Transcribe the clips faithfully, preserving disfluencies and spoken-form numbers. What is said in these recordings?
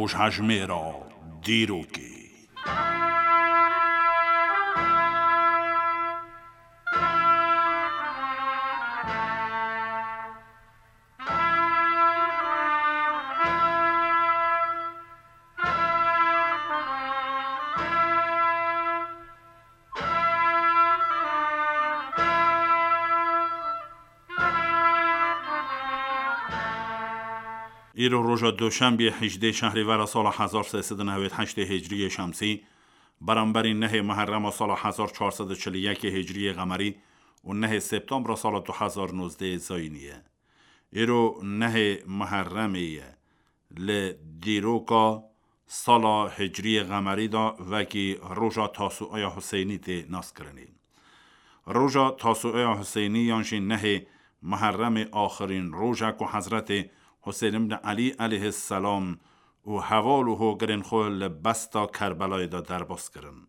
Rojhejmêra dîrokê. Îro roja Duşenbê, hejdê Şehrîvera sala hezar sê sed û newêd heştê Hicriyê Şemsî, beramberî nehê Muherrema sala hezar çar sed û çil û yekê Hicriyê Qemerî û nehê Septembra sala du hezar nozdeh Zayînî ye. Îro nehê Muherremê ye. Li dîroka sala Hicriyê Qemerî de wekî roja Tasuaya Huseynî tê naskirinê. Roja Tasuaya Huseynî yan jî nehê Muherremê axirîn roj e ku Hezretê Huseyn ibn Elî eleyhisselam û heval û hogirên xwe li besta Kerbelayê de derbas kirin.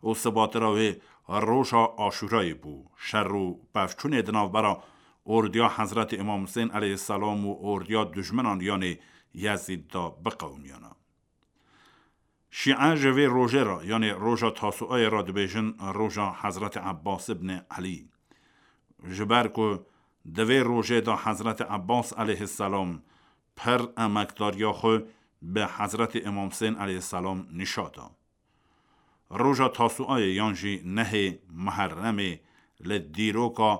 Û sibatira wê roja Aşûrayê bû. Şer û pevçûnê di navbera ordiya Hezretê Îmam Husên eleyhisselam û ordiya dijminan, yanê Yezîd de biqewimiyana. Şîe ji vê rojê re, yanê roja Tasuayê re dibêjin roja Hezretê Ebbas ibn Elî. Ji ber ku di vê rojê de Hezretê Ebbas eleyhisselam pir emekdariya xwe bi Hezretê Îmam Husên eleyhisselam nîşa da. Roja Tasuayê yan jî nehê Muherremê li dîroka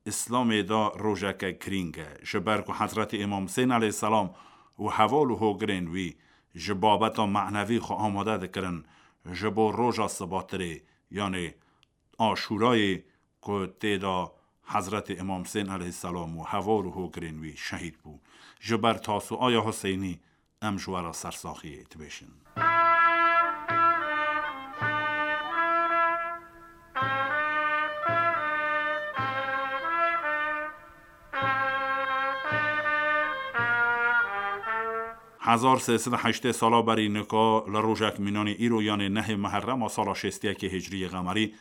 Îslamê de rojeke girîng e, ji ber ku Hezretê Îmam Husên eleyhisselam û heval û hogirên wî ji babeta manevî xwe amade dikirin ji bo roja sibatirê, yanê Aşûrayê ku tê de Hezretê Îmam Husên eleyhisselam û heval û hogirên wî şehîd bû. Ji ber Tasuaya Huseynî em ji we re sersaxiyê dibêjin. Hezar sê sed û heştê sala berî nika li rojek mînanî îro, yanê nehê Meherrema sala şêst û yekê Hicriyê Qemerî,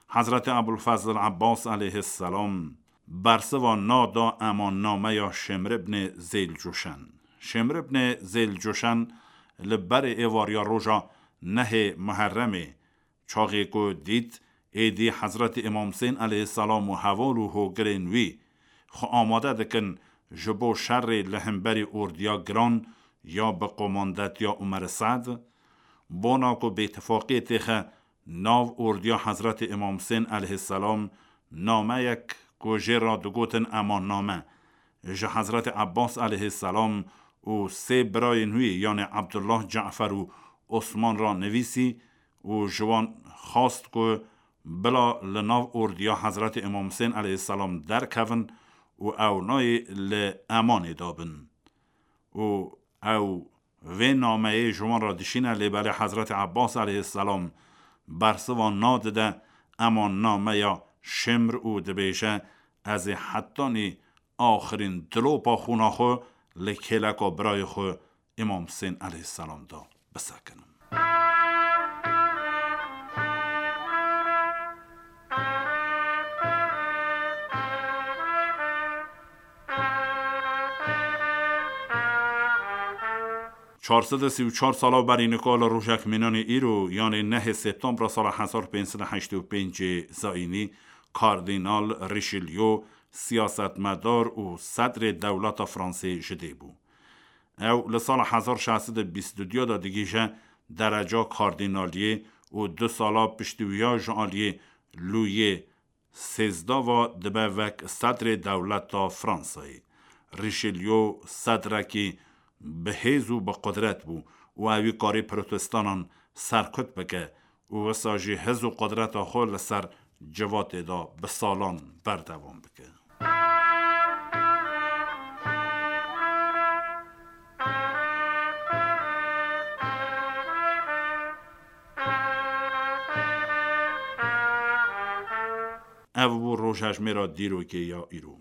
Hezretê Ebulfezl Ebbas eleyhisselam bersiva na da emannameya Şêmr ibnê Zêlcûşen. Şêmr ibnê Zêlcûşen li berê êvariya roja nehê Meherremê, çaxê ku dît êdî Hezretê Îmam Husên eleyhisselam û heval û hogirên wî xwe amade dikin ji bo şerê li hemberî ordiya giran ya bi qomandetiya Umer Se'd, bona ku bêtifaqiyê têxe nav ordiya Hezretê Îmam Husên eleyhisselam nameyek ku jê re digotin emanname, ji Hezretê Ebbas eleyhisselam û sê birayên wî, yanê Ebdullah, Cafer û Osman re nivîsî û ji wan xwest ku bila li nav ordiya Hezretê Îmam Husên eleyhisselam derkevin û ew nayê li emanê de bin. Û ew vê nameyê ji wan re dişîne, lê belê Hezretê Ebbas eleyhisselam bersiva nadide, emannameya Şimr û dibêje, ez ê hetanî axirîn dilopa xûna xwe li kêleka birayê xwe Îmam Husên eleyhisselam de bisekinim. Çar sed û sî û çar sala berî nika li rojek mînanê îro, yanê nehê Septembra sala hezar pênc sed û heştê û pêncê Zayînî, Kardînal Richelieu siyasetmedar û sedrê dewleta Fransê ji dê bû. Ew li sala hezar şeş sed û bîst û duyê de digihîje dereca kardînaliyê û du sala piştî wiya ji aliyê Lûyê sêzdeh ve dibe wek sedrê dewleta Fransayê. Richelieu sedrekî bi hêz û bi qudret bû û ewî karî protestanên serkut bike û wisa jî hêz û qudreta xwe li ser civatê de bi salan berdewam bike. Ev bû rojhejmêra dîrokê ya îro.